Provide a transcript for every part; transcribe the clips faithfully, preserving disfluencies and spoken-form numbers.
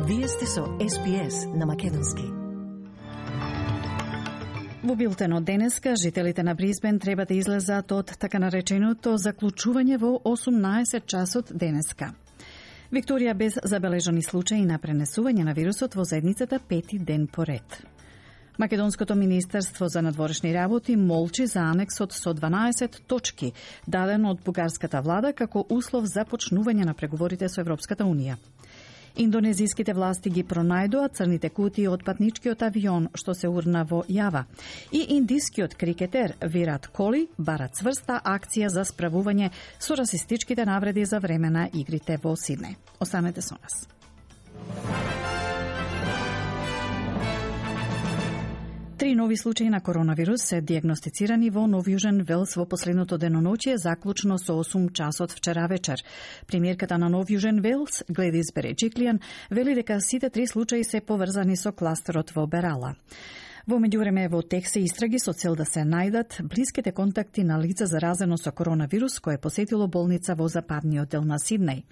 Вие сте со Ес Би Ес на македонски. Во билтенот денеска, жителите на Брисбен треба да излезат од така нареченото заклучување во осумнаесет часот денеска. Викторија без забележани случаи на пренесување на вирусот во заедницата пети ден поред. Македонското министерство за надворешни работи молчи за анексот со дванаесет точки, даден од бугарската влада како услов за почнување на преговорите со Европската унија. Индонезиските власти ги пронајдоа црните кутии од патничкиот авион што се урна во Јава. И индискиот крикетер Вират Коли бара цврста акција за справување со расистичките навреди за време на игрите во Сиднеј. Останете со нас. Три нови случаи на коронавирус се диагностицирани во Нов Јужен Велс во последното деноноќие, заклучно со осум часот вчера вечер. Премиерката на Нов Јужен Велс, Гледис Береджиклијан, вели дека сите три случаи се поврзани со кластерот во Берала. Во меѓувреме во тек се истраги со цел да се најдат блиските контакти на лице заразено со коронавирус кое посетило болница во западниот дел на Сиднеј.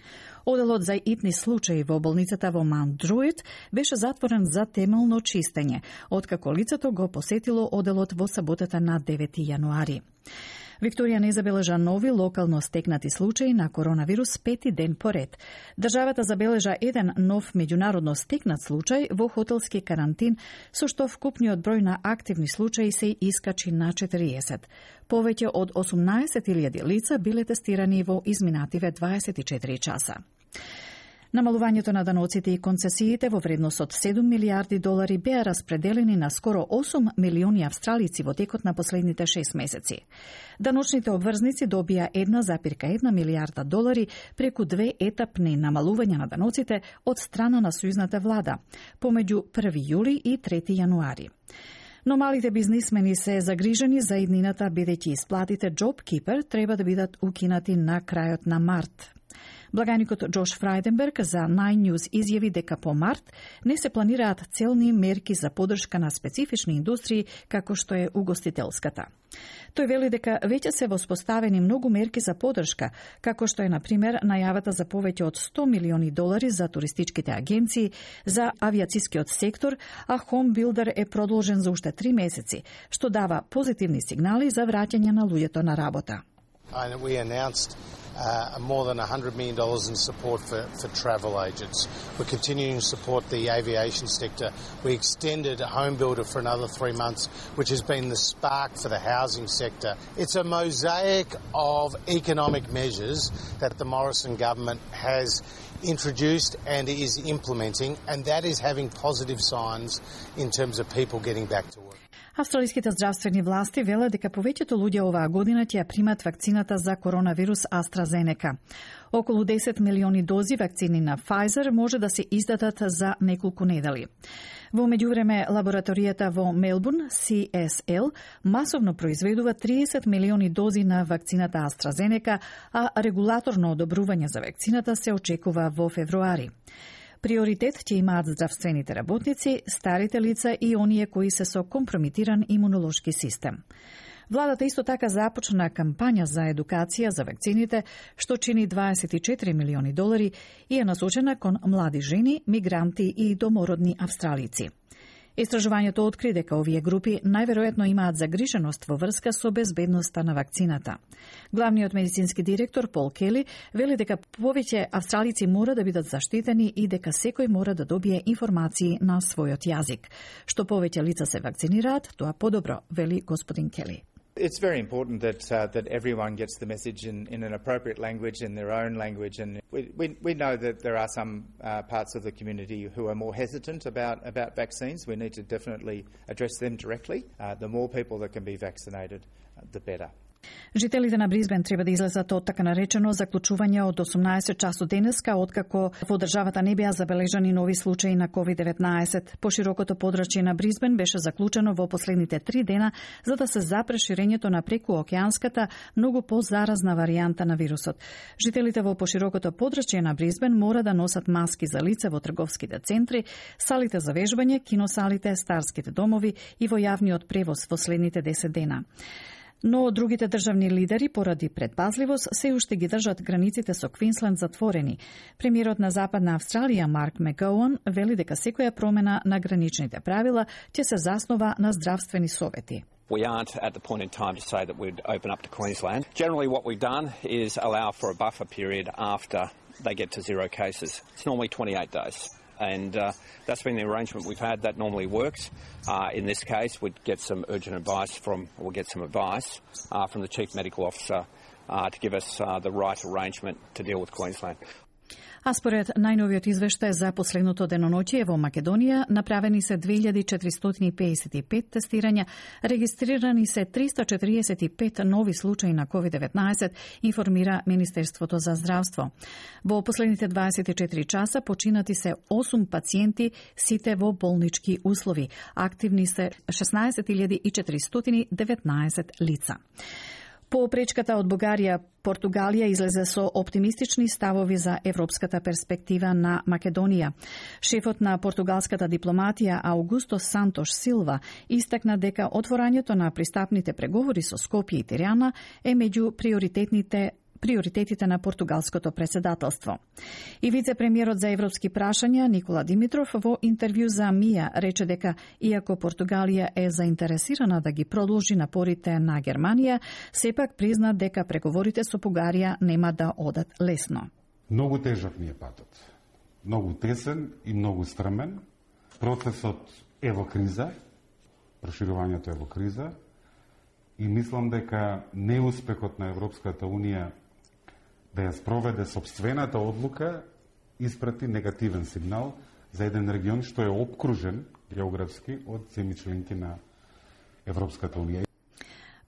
Оделот за итни случаи во болницата во Маунт Друид беше затворен за темелно чистење, откако лицето го посетило оделот во саботата на девети јануари. Викторија не забележа нови локално стекнати случаи на коронавирус пети ден поред. Државата забележа еден нов меѓународно стекнат случај во хотелски карантин, со што вкупниот број на активни случаи се искачи на четириесет. Повеќе од осумнаесет илјади лица биле тестирани во изминативе дваесет и четири часа. Намалувањето на даноците и концесиите во вредност од седум милијарди долари беа распределени на скоро осум милиони австралици во текот на последните шест месеци. Даночните обврзници добија една запирка една милијарда долари преку две етапни намалувања на даноците од страна на сојузната влада, помеѓу први јули и трети јануари. Но малите бизнисмени се загрижени за иднината, бидејќи исплатите JobKeeper треба да бидат укинати на крајот на март. Благаникот Джош Фрајденберг за Nine News изјави дека по март не се планираат целни мерки за поддршка на специфични индустрии како што е угостителската. Тој вели дека веќе се воспоставени многу мерки за поддршка, како што е, на пример, најавата за повеќе од сто милиони долари за туристичките агенции, за авијацискиот сектор, а Home Builder е продолжен за уште три месеци, што дава позитивни сигнали за враќање на луѓето на работа. And we announced uh, more than one hundred million dollars in support for, for travel agents. We're continuing to support the aviation sector. We extended Home Builder for another three months, which has been the spark for the housing sector. It's a mosaic of economic measures that the Morrison government has introduced and is implementing, and that is having positive signs in terms of people getting back to work. Австралиските здравствени власти велат дека повеќето луѓе оваа година ќе ја примат вакцината за коронавирус AstraZeneca. Околу десет милиони дози вакцини на Pfizer може да се издадат за неколку недели. Во меѓувреме, лабораторијата во Мелбурн, Си Ес Ел, масовно произведува триесет милиони дози на вакцината AstraZeneca, а регулаторно одобрување за вакцината се очекува во февруари. Приоритет ќе имаат здравствените работници, старите лица и оние кои се со компрометиран имунолошки систем. Владата исто така започна кампања за едукација за вакцините, што чини дваесет и четири милиони долари и е насочена кон млади жени, мигранти и домородни австралици. Истражувањето откри дека овие групи најверојатно имаат загриженост во врска со безбедноста на вакцината. Главниот медицински директор Пол Кели вели дека повеќе австралици мора да бидат заштитени и дека секој мора да добие информации на својот јазик. Што повеќе лица се вакцинираат, тоа подобро, вели господин Кели. It's very important that uh, that everyone gets the message in, in an appropriate language, in their own language, and we we, we know that there are some uh, parts of the community who are more hesitant about, about vaccines. We need to definitely address them directly. Uh, the more people that can be vaccinated, uh, the better. Жителите на Брисбен треба да излезат од така наречено заклучување од осумнаесет часот денеска, откако во државата не беа забележани нови случаи на ковид деветнаесет. Поширокото подрачје на Брисбен беше заклучено во последните три дена за да се запре ширењето на прекуокеанската, многу позаразна варијанта на вирусот. Жителите во поширокото подрачје на Брисбен мора да носат маски за лице во трговските центри, салите за вежбање, киносалите, старските домови и во јавниот превоз во следните десет дена. Но другите државни лидери поради предпазливост се уште ги држат границите со Квинсленд затворени. Премиерот на Западна Австралија Марк Макгоуан вели дека секоја промена на граничните правила ќе се заснова на здравствени совети. We aren't at the point in time to say that we'd open up to Queensland. Generally what we've done is allow for a buffer period after they get to zero cases. It's normally twenty-eight days. And uh, that's been the arrangement we've had. That normally works. Uh, in this case, we'd get some urgent advice from, or we'll get some advice uh, from the Chief Medical Officer uh, to give us uh, the right arrangement to deal with Queensland. А според најновиот извештај за последното деноноќие во Македонија, направени се две илјади четиристотини пеесет и пет тестирања, регистрирани се триста четиридесет и пет нови случаи на ковид деветнаесет, информира Министерството за здравство. Во последните дваесет и четири часа починати се осум пациенти, сите во болнички услови. Активни се шеснаесет илјади и четиристотини деветнаесет лица. По пречката од Бугарија, Португалија излезе со оптимистични ставови за европската перспектива на Македонија. Шефот на португалската дипломатија Аугусто Сантош Силва истакна дека отворањето на пристапните преговори со Скопје и Тирана е меѓу приоритетните приоритетите на португалското председателство. И вице-премиерот за европски прашања Никола Димитров во интервју за Мија рече дека иако Португалија е заинтересирана да ги продолжи напорите на Германија, сепак призна дека преговорите со Бугарија нема да одат лесно. Многу тежок ни е патот. Многу тесен и многу стрмен. Процесот е во криза, проширувањето е во криза и мислам дека неуспехот на Европската Унија да ја спроведе сопствената одлука испрати негативен сигнал за еден регион што е опкружен географски од земји членки на Европската Унија.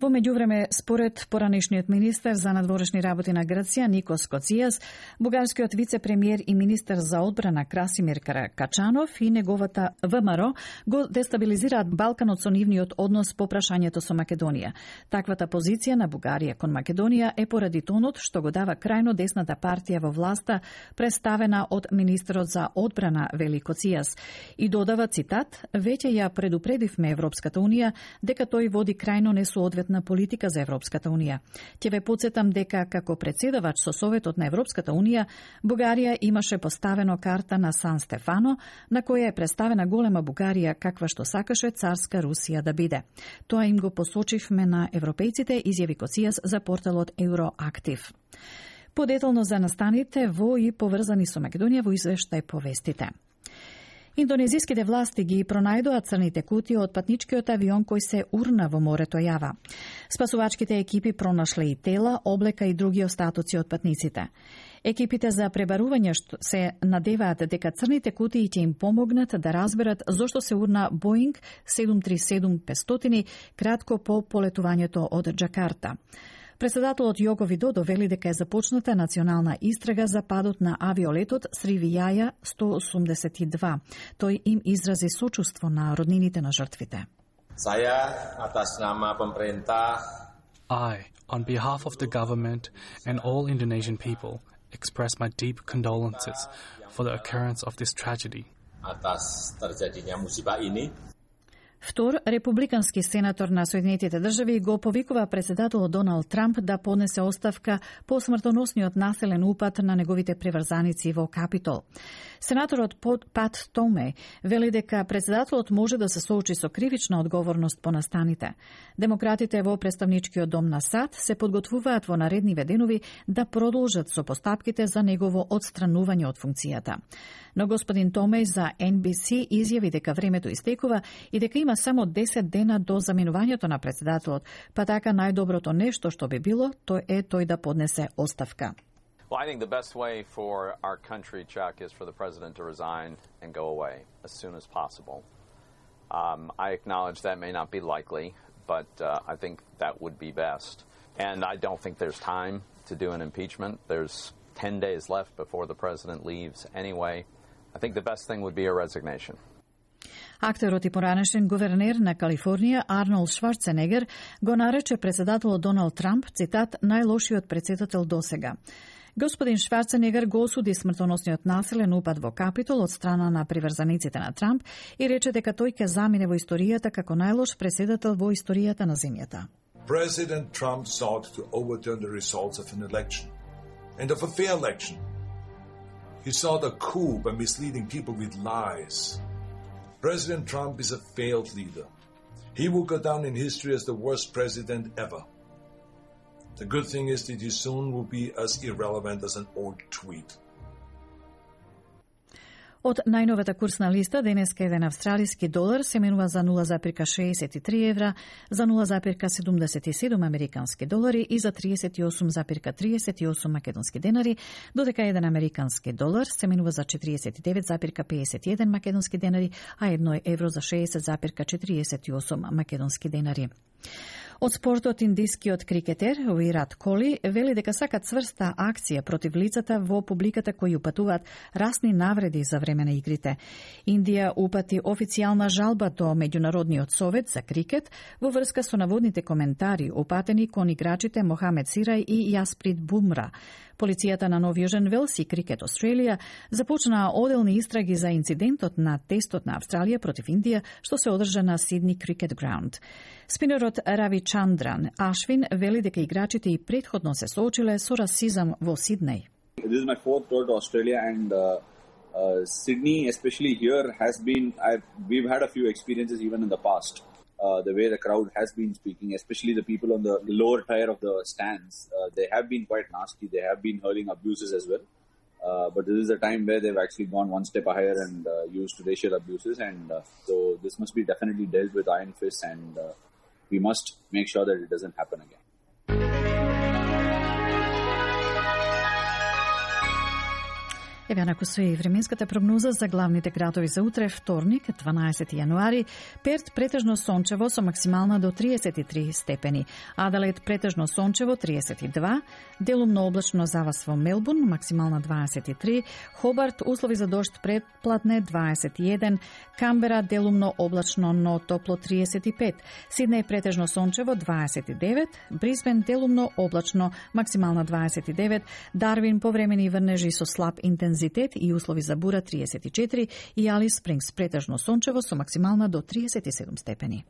Во меѓувреме, според поранешниот министер за надворешни работи на Грција Никос Коцијас, бугарскиот вице-премиер и министер за одбрана Красимир Каракачанов и неговата ВМРО го дестабилизираат Балканот со нивниот однос по прашањето со Македонија. Таквата позиција на Бугарија кон Македонија е поради тонот што го дава крајно десната партија во власта, представена од министерот за одбрана Вели Коцијас. И додава цитат: "Веќе ја предупредивме Европската Унија дека тој води крајно несоодветна на политика за Европската Унија. Ќе ве подсетам дека како председавач со Советот на Европската Унија, Бугарија имаше поставено карта на Сан Стефано, на која е представена голема Бугарија каква што сакаше царска Русија да биде. Тоа им го посочивме на европејците, изјави Коцијас за порталот Евроактив. Подетално за настаните во и поврзани со Македонија во извештај повестите. Индонезиските власти ги пронајдоа црните кутии од патничкиот авион кој се урна во морето Јава. Спасувачките екипи пронашле и тела, облека и други остатоци од патниците. Екипите за пребарување се надеваат дека црните кутии ќе им помогнат да разберат зошто се урна Боинг седум три седум петстотини кратко по полетувањето од Џакарта. Председателот Јоко Видодо вели дека е започната национална истрага за падот на авиолетот Сривијаја сто осумдесет и два. Тој им изрази сочувство на роднините на жртвите. Saya atas nama pemerintah I, on behalf of the government and all Indonesian people, express my deep condolences for the occurrence of this tragedy. Atas terjadinya musibah ini. Втор, републикански сенатор на Соединетите држави го повикува председателот Доналд Трамп да поднесе оставка по смртоносниот населен упад на неговите приврзаници во Капитол. Сенаторот Пат Томе вели дека председателот може да се соочи со кривична одговорност по настаните. Демократите во представничкиот дом на САД се подготвуваат во наредниве денови да продолжат со постапките за негово одстранување од функцијата. Но господин Томеј за Ен Би Си изјави дека времето истекува и дека има само десет дена до заминувањето на председателот, па така најдоброто нешто што би било, тој е тој да поднесе оставка. Well, I think the best way for our country, Chuck, is for the president to resign and go away as soon as possible. Um, I acknowledge that may not be likely, but uh, I think that would be best. And I don't think there's time to do an impeachment. There's ten days left before the president leaves anyway. I think the best thing would be a resignation. Актерот и поранешен гувернер на Калифорнија Арнолд Шварценегер го нарече председателот Доналд Трамп, цитат, најлошиот председател досега. Господин Шварценегер го осуди смртоносниот населен упад во Капитол од страна на приврзаниците на Трамп и рече дека тој ќе замине во историјата како најлош председател во историјата на земјата. President Trump sought to overturn the results of an election, and of a fair election. He sought a coup by misleading people with lies. President Trump is a failed leader. He will go down in history as the worst president ever. The good thing is that he soon will be as irrelevant as an old tweet. Од најновата курсна листа, денеска еден австралиски долар се менува за нула запирка шеесет и три евра, за нула запирка седумдесет и седум американски долари и за триесет и осум запирка триесет и осум македонски денари, додека еден американски долар се менува за четириесет и девет запирка пеесет и еден македонски денари, а едно евро за шеесет запирка четириесет и осум македонски денари. Од спортот, индискиот крикетер Вират Коли вели дека сака цврста акција против лицата во публиката кои упатуваат расни навреди за време на игрите. Индија упати официјална жалба до Меѓународниот совет за крикет во врска со наводните коментари упатени кон играчите Мохамед Сирај и Јасприт Бумра. Полицијата на Нов Јужен Велс и Крикет Австралија започнаа оделни истраги за инцидентот на тестот на Австралија против Индија, што се одржа на Сидни Крикет Граунд. Спинерот Рави Чандран Ашвин вели дека играчите и претходно се соочиле со расизам во Сиднеј. This is my fourth tour to Australia, and uh, uh, Sydney, especially here, has been. I've, we've had a few experiences even in the past. Uh, the way the crowd has been speaking, especially the people on the lower tier of the stands, uh, they have been quite nasty. They have been hurling abuses as well. Uh, but this is a time where they've actually gone one step higher and uh, used racial abuses, and uh, so this must be definitely dealt with iron fist, and uh, we must make sure that it doesn't happen again. Еве на со и временската прогноза за главните градови за утре, вторник, дванаесети јануари. Перт претежно сончево со максимална до триесет и три степени. Аделаид претежно сончево триесет и два, делумно облачно завас во Мелбурн, максимална дваесет и три, Хобарт услови за дожд предплатне дваесет и еден, Камбера делумно облачно но топло триесет и пет, Сиднеј претежно сончево дваесет и девет, Брисбен делумно облачно максимална дваесет и девет, Дарвин повремени врнежи со слаб интензитет и услови за бура триесет и четири и Алис Спрингс претежно сончево со максимална до триесет и седум степени.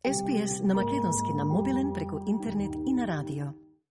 Ес Би Ес на македонски на мобилен преку интернет и на радио.